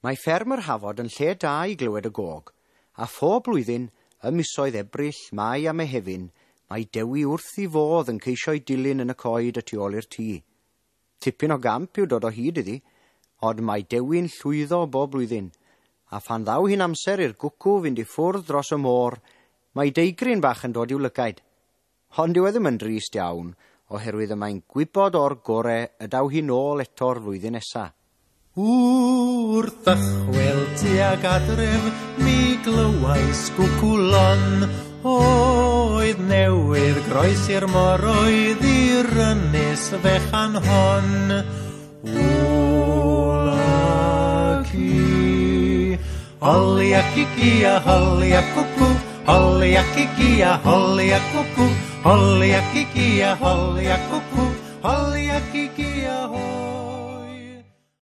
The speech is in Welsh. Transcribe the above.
Mae fferm yr Hafod yn lle da i glywed y gog, a phob blwyddyn, ym misoedd Ebrill, Mai a Mehefin, mae Dewi wrth ei fodd yn ceisio'i dilyn yn y coed y tu ôl i'r tŷ. Tipyn o gamp yw dod o hyd iddi, ond mae Dewi'n llwyddo bob blwyddyn, a phan ddaw hi'n amser i'r gwcw fynd i ffwrdd dros y môr, mae deigryn bach yn dod i'w lygaid. Ond dyw e ddim yn drist iawn, oherwydd y mae'n gwybod o'r gore y daw hi nôl eto'r flwyddyn nesa. Wrth ddychwel tuag adref mi glywais gwcwlon oedd newydd groesi'r môr oedd i'r ynys fechan hon. Ola ci, holi a cici a holi a cwcw, holi a cici a holi a cwcw, holi a cici a holi a cwcw, holi a cici a holi.